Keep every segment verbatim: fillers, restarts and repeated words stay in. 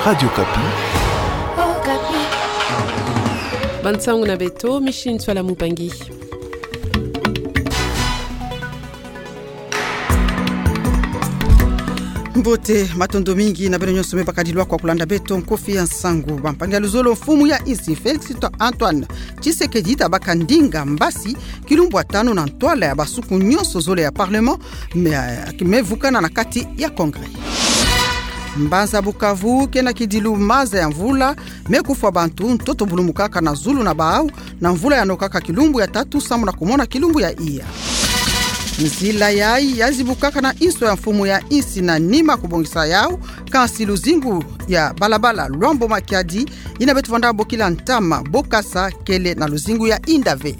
Radio Okapi. Bansangu na beto, Micheline Ntsoila Mupangi. Mbote, matondo mingi na beno nyonso me bakadilwa kwa kulanda beto nkofi ya nsangu. Bampangi ya luzolo, mfumu ya insi Félix Antoine Tshisekedi tabaka ndinga mbasi kilumbu ya tanu na ntwala ya basuku nyonso zole ya Parlement me, me vukana na kati ya Congrès. Mbanza Bukavu kena kidilu maza ya mvula, me kufwa bantu, ntoto bulumukaka na zulu na bau, na mvula yanokaka kilumbu ya tatu sambu na kumona kilumbu ya iya. Nzila yayi yazibukaka na inso ya mfumu ya insi na nima kubongisa yau, kansi luzingu ya balabala Luambo Makiadi, yina beto vanda bokila ntama Bokasa, kele na luzingu ya inda ve.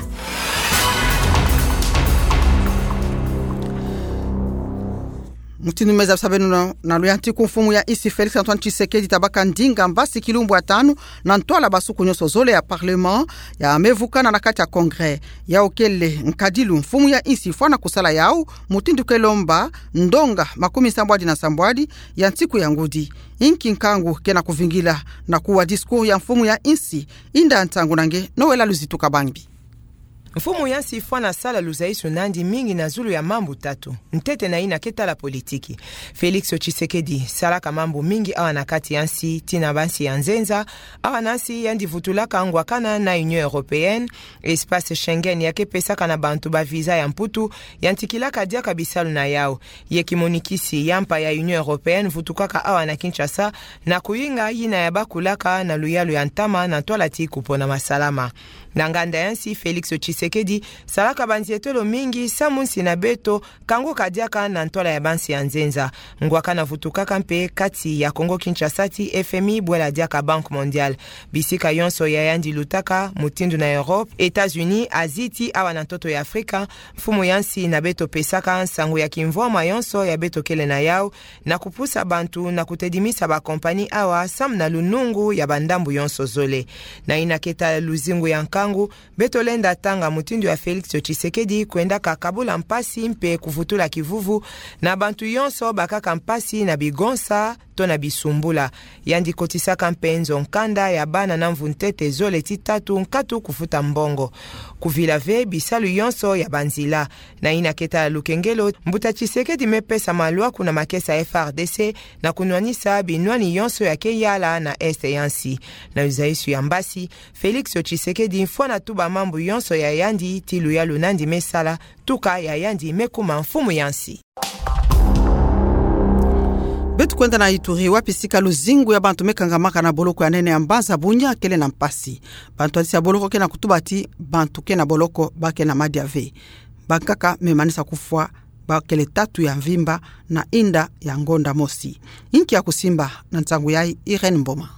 Mutindu me zabisa beno na, na luyantiku, mfumu ya insi Félix Antoine Tshisekedi tabaka ndinga mbasi kilumbu ya tanu na ntwala basuku nyonso zole ya Parlement ya me vukana na kati ya Congrès. Yau kele nkadilu mfumu ya insi fwana kusala yau, mutindu ke lomba ndonga makumi sambwadi na sambwadi ya nsiku ya ngudi. Inki nkangu kena kuvingila na kuwa discours ya mfumu ya insi? Inda ntangu na nge Noëlla Luzitu Kabambi. Mfumu ya nsi fwana sala luzaisu nandi mingi na zulu ya mambu tatu. Ntete, na yina ke tala politiki. Félix Tshisekedi salaka mambu mingi awa na kati ya nsi, tii na bansi ya nzenza. Awa na nsi yandi vutulaka ngwakana na Union Européenne, espace Schengen ya ke pesaka na bantu ba visa ya Mputu, yantikilaka diaka bisalu na yau. Ye kimonikisi ya mpa ya Union Européenne vutukaka awa na Kinshasa, na kuyinga yina ya bakulaka na luyalu ya ntama na ntwala ti kupona masalama. Na nganda ya nsi, Félix Tshisekedi salaka banzietelo mingi samu nsi na beto kanguka diaka na ntwala ya bansi ya nzenza. Ngwakana vutukaka mpe kati ya Congo Kinshasa ti F M I bwela diaka Banque Mondiale. Bisika yonso ya yandi lutaka, mutindu na Europe, États-Unis, Asie ti awa na ntoto ya Afrika, mfumu ya nsi na beto pesaka nsangu ya kimvwama yonso ya beto kele na yau, na kupusa bantu na kutedimisa ba compagnie awa samu na lunungu ya bandambu yonso zole. Na yina ke tala luzingu ya nkangu, beto lenda tanga mutindu ya Félix Tshisekedi kwendaka kabula mpasi mpe kuvutula kivuvu na bantu yonso bakaka mpasi na bigonsa to na bisumbula. Yandi kotisaka mpe nzo nkanda ya bana na mvu ntete zole ti tatu nkatu kufuta mbongo. Kuvila ve bisalu yonso ya banzila. Na yina ke tala lukengelo, mbuta Tshisekedi me pesa malwaku na makesa F A R D C na kunwanisa binwani yonso ya ke yala na Est ya nsi. Na luzaisu ya mbasi, Félix Tshisekedi fwana tuba mambu yonso ya yandi ti luyalu nandi me sala, tuka ya yandi me kuma mfumu ya nsi. Beto kwenda na Ituri, wapi sika luzingu ya bantu me kangamaka na boloko ya nene ya Mbanza Bunia kele na mpasi. Bantwadisi ya boloko kena kutuba ti bantu ke na boloko ba ke na madia ve. Bankaka me manisa kufwa, ba kele tatu ya mvimba na inda ya ngonda mosi. Inki ya kusimba na nsangu yayi? Irène Mboma.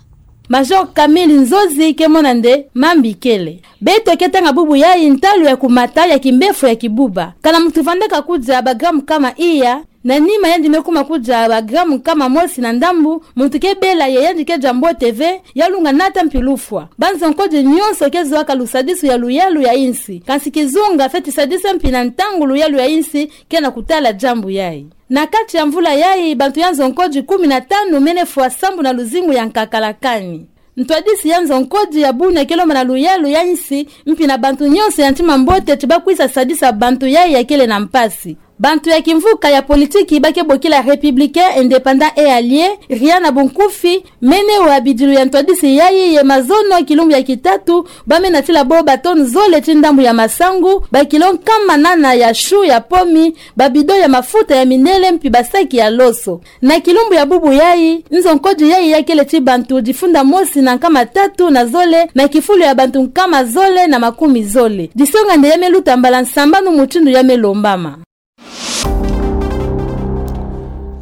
Major Camille Nzozi ke mona nde mambi kele. Beto ke tanga bubu yayi ntalu ya kumata ya kimbefo ya kibuba. Kana muntu vandaka kudia ba gramme nkama iya, na nima yandi me kuma kudia ba gramme nkama mosi na ndambu, muntu ke bela ye yandi ke dia mbote ve, ya lunga nata mpi lufwa. Banzo nkodi nyonso ke zwaka lusadisu ya luyalu ya insi. Kansi kizunga fweti sadisa mpi na ntangu luyalu ya insi kena kutala diambu yayi. Na kati ya mvula yayi, bantu ya nzo nkodi kumi na tanu mene fwa sambu na luzingu ya nkakala kani. Ntwadisi ya nzo nkodi ya Bunia ke lomba na luyalu ya insi, mpi na bantu nyonso ya ntima mbote ti bakwisa sadisa bantu yayi ya kele na mpasi. Bantu ya kimvuka ya politiki ba ke bokila Républicains, Indépendants et Alliés, ria na bunkufi, mene wa bidilu ya ntwadisi yayi ye mazono kilumbu ya kitatu, ba me natila bo ba tonne zole ti ndambu ya masangu, ba kilo nkama nana ya chou ya pomi, ba bidon ya mafuta ya minele mpi ba saki ya loso. Na kilumbu ya bubu yayi, nzo nkodi yayi ya kele ti bantu difunda mosi na nkama tatu na zole, na kifulu ya bantu nkama zole na makumi zole. Disonga nde ya me luta mbala nsambanu mutindu ya me lombama.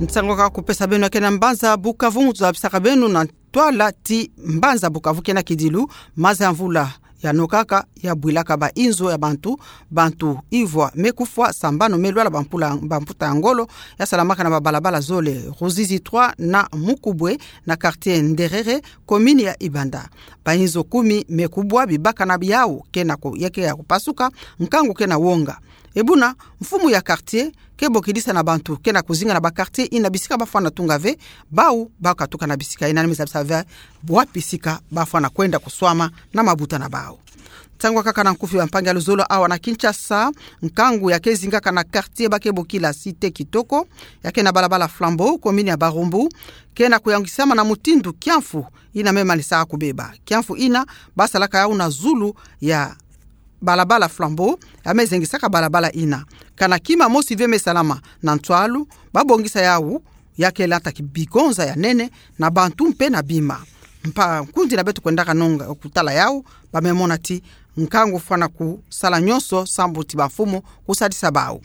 Nsangu ka kupesa beno ya ke na mbanza Bukavu, mu tuzabisaka beno na ntwala ti mbanza Bukavu ke na kidilu, maza ya mvula yanokaka, yabwilaka ba inzo ya bantu, bantu ivwa me kufwa, sambanu me lwala, bampula, bamputa ya ngolo, yasalamaka na babalabala zole, Ruzizi trois na Mukubwe, na quartier Nderere, commune ya Ibanda. Ba inzo kumi me kubwa, bibakana biawu ke na ku-, ya ke ya kupasuka, nkangu ke na wonga. E buna, mfumu ya quartier ke bokidisa na bantu ke na kuzinga na ba quartier ina bisika bafwana tunga ve, bau bakatuka na bisika ina, ni me zabisa ve wapi sika bafwana kwenda kuswama na mabuta na bau. Nsangu kaka na nkufi, bampangi ya luzolo, awa na Kinshasa, nkangu ya ke zingaka na quartier ba ke bokila Cité Kitoko, ya ke na balabala Flambeau, commune ya Barumbu, ke na kuyangisama na mutindu kiamfu ina me manisaka kubeba. Kiamfu ina basalaka yau na zulu ya balabala Flambeau, ya me zengisaka balabala ina. Kana kima mosi ve me salama na nswalu, babongisa yau, ya ke lata ki bigonza ya nene na bantu mpe na bima. Mpa nkundi na beto kwendaka nonga kutala yau, ba me mona ti nkangu fwana kusala nyonso sambu ti bamfumu kusadisa bau.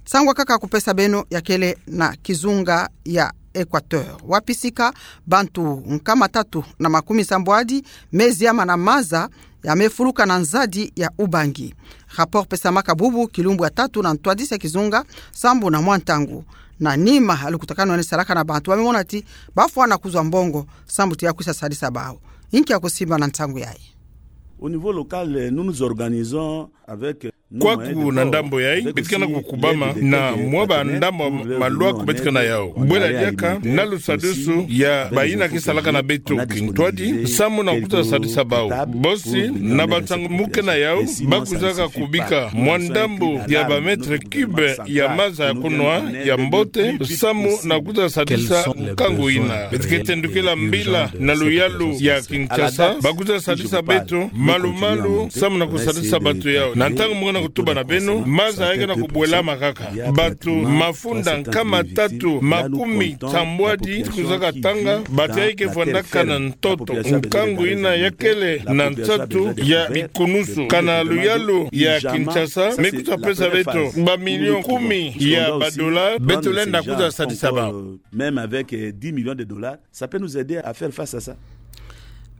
Nsangu kaka kupesa beno ya kele na kizunga ya Équateur, wapi sika bantu nkama tatu na makumi nsambwadi me ziama na maza ya me fuluka na nzadi ya Ubangi. Rapport pesamaka bubu kilumbu ya tatu na ntwadisi ya kizunga sambu na mwa ntangu. Na nima ya lukutakanu ya ni salaka na bantu, ba me mona ti bafwana kuzwa mbongo sambu ti ya kwisa sadisa bau. Inki ya kusimba na nsangu yayi? Au niveau local, nous nous organisons avec Kwaku na ndambo yayi, beto ke na kukubama na mwa ba ndambo malwaku beto ke na yau. Bwela diaka na lusadisu ya bayina ke salaka na beto kintwadi, samu na kwiza sadisa bau. Bosi, na ba nsangu mu ke na yau, ba kwizaka kubika mwa ndambo ya ba mètres cubes ya maza ya kunwa ya mbote, samu na kwiza sadisa nkangu yina. Beto ke tendukila mbila na luyalu ya Kinshasa, ba kwiza sadisa beto malu-malu, samu na kusadisa bato yau. Na ntangu mu ke na kutuba na beno, maza ya ke na kubwelama kaka. Bato mafunda nkama tatu makumi nsambwadi kwizaka tanga, bato yayi ke vwandaka na ntoto. Nkangu yina ya kele na nsatu ya bikunusu. Kana luyalu ya Kinshasa me kwiza pesa beto ba millions kumi ya ba dollars, beto lenda kwiza sadisa bau. Même avec, euh, dix millions de dollars, ça peut nous aider à faire face à ça.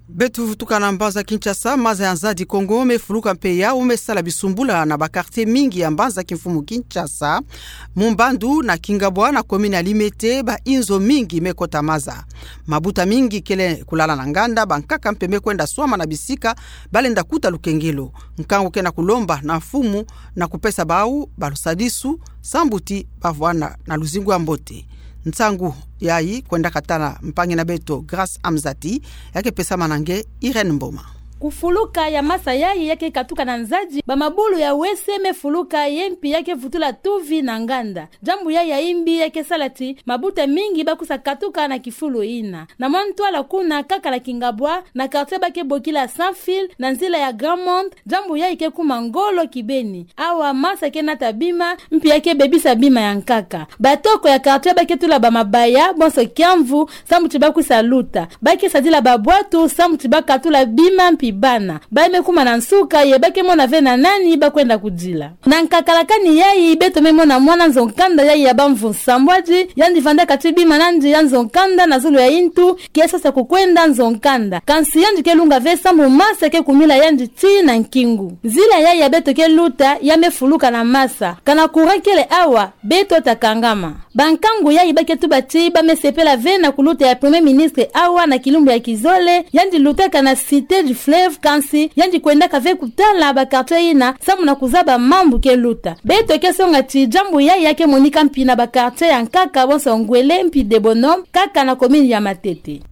Beto vutuka na mbanza Kinshasa, maza ya nzadi Kongo me fuluka mpe yau me sala bisumbula na ba quartier mingi ya mbanza kimfumu Kinshasa. Mu Mbandu na Kingabwa na commune ya Limete, ba inzo mingi me kota maza. Mabuta mingi kele kulala na nganda, bankaka mpe me kwenda swama na bisika ba lenda kuta lukengelo. Nkangu ke na kulomba na mfumu na kupesa bau ba lusadisu, sambu ti ba vwanda na luzingu ya mbote. Nsangu yayi kwendaka tala mpangi na beto Grace Amzati, ya ke pesama na nge Irène Mboma. Kufuluka ya maza yayi ya ke katuka na nzadi, ba mabulu ya wese me fuluka ye mpi ya ke vutula tuvi na nganda. Diambu yayi ya imbi ya ke sala ti mabuta mingi ba kwiza katuka na kifulu yina. Na mwa ntwala kuna kaka na Kingabwa, na quartier ba ke bokila Sans Fil, na nzila ya Grand Monde, diambu yayi ke kuma ngolo kibeni. Awa maza ke nata bima, mpi ya ke bebisa bima ya nkaka. Batoko ya quartier ba ke tula ba mabaya bonso kiamvu, sambu ti ba kwisa luta. Ba ke sadila ba bwatu, sambu ti ba katula bima mpi bana. Ba me kuma na nsuka, ye ba ke mona ve na nani ba kwenda kudila. Na nkakalakani yayi, beto me mona mwana nzo-nkanda yayi ya bamvu nsambwadi, yandi vandaka ti bima nandi ya nzo-nkanda na zulu ya intu, ke sosa kukwenda nzo-nkanda. Kansi yandi ke lunga ve sambu maza ke kumila yandi tii na nkingu. Nzila yayi ya beto ke luta, ya me fuluka na maza. Kana courant kele awa, beto ta kangama. Bankangu yayi ba ke tuba ti ba me sepela ve na kuluta ya Premier Ministre awa na kilumbu ya kizole, yandi lutaka na Cité du Fleuve, kansi yandi kwendaka ve kutala ba quartier yina, sambu na kuzaba mambu ke luta. Beto ke songa ti diambu yayi ya ke monika mpi na ba quartier ya nkaka bonso Ngwele mpi Debono, kaka na commune ya Matete.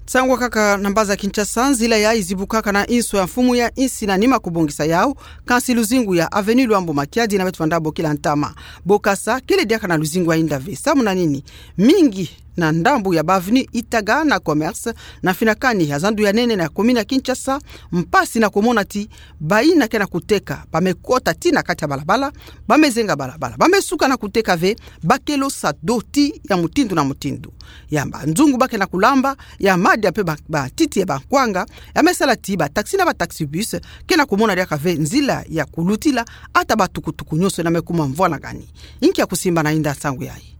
Nsangu kaka na mbanza Kinshasa, nzila yayi zibukaka na inso ya mfumu ya insi na nima kubongisa yau, kansi luzingu ya avenue Luambo Makiadi na beto vanda bokila ntama Bokasa, kele diaka na luzingu ya inda ve. Samu na nini? Mingi na ndambu ya ba avenue Itaga na Commerce, na finakani ya zandu ya nene na commune ya Kinshasa, mpasi na kumona ti bayina ke na kuteka ba me kota tii na kati ya balabala, ba me zenga balabala, ba me suka na kuteka ve, ba ke losa doti ya mutindu na mutindu. Ya banzungu ba ke na kulamba, ya madia mpe ba, ba titi ya bankwanga, ya me sala ti ba taxi na ba taxi-bus ke na kumona diaka ve nzila ya kulutila, ata ba tukutuku nyonso yina me kuma mvwalangani. Inki ya kusimba na inda nsangu yayi?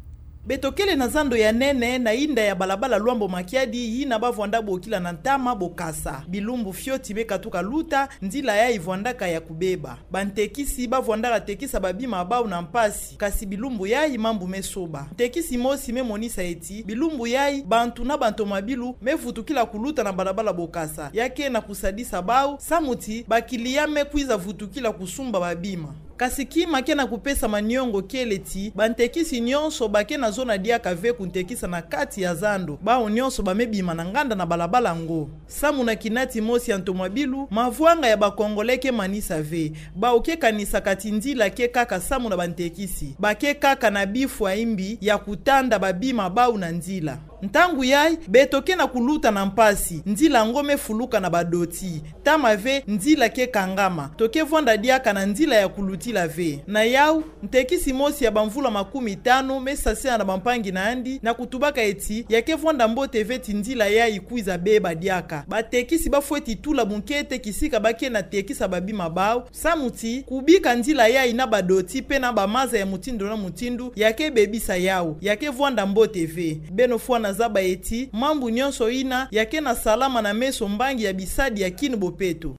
Beto kele na zando ya nene na inda ya balabala Luambo Makiadi, yina ba vwanda bokila na ntama Bokasa. Bilumbu fioti me katuka luta, nzila yayi vwandaka ya kubeba. Bantekisi ba vwandaka tekisa babima ya bau na mpasi, kasi bilumbu yayi mambu me soba. Ntekisi mosi me monisa ti bilumbu yayi bantu na bantomabilu me vutukila kuluta na balabala Bokasa. Ya ke na kusadisa bau, samu ti ba client me kwiza vutukila kusumba babima. Kasi kima ke na kupesama niongo kele ti bantekisi nyonso ba ke na zona diaka ve kuntekisa na kati ya zando, bawu nyonso ba me bima na nganda na balabala ngo. Samu na kina ti mosi ya ntomo ya bilu, mavwanga ya ba Congolais ke manisa ve. Bawu ke kanisaka ti nzila ke kaka samu na bantekisi. Ba ke kaka na bifwa imbi ya kutanda babima bawu na nzila. Ntangu yayi, beto ke na kuluta na mpasi, nzila ngo me fuluka na badoti. Tama ve, nzila ke kangama. To ke vwanda diaka na nzila ya kulutila ve. Na yawu, ntekisi mosi ya bamvula makumi tanu me sasila na bampangi na yandi na kutubaka eti ya ke vwanda mbote ve ti nzila yayi kwiza beba diaka. Batekisi ba fweti tula bunkete kisika ba ke na tekisa babima bawu, samu ti kubika nzila yayi na badoti pe na bamaza ya mutindu na mutindu ya ke bebisa yawu, ya ke vwanda mbote ve. Beno fwana zaba eti mambu nyonso yina ya ke na salama na meso mbangi ya bisadi ya kini bopeto.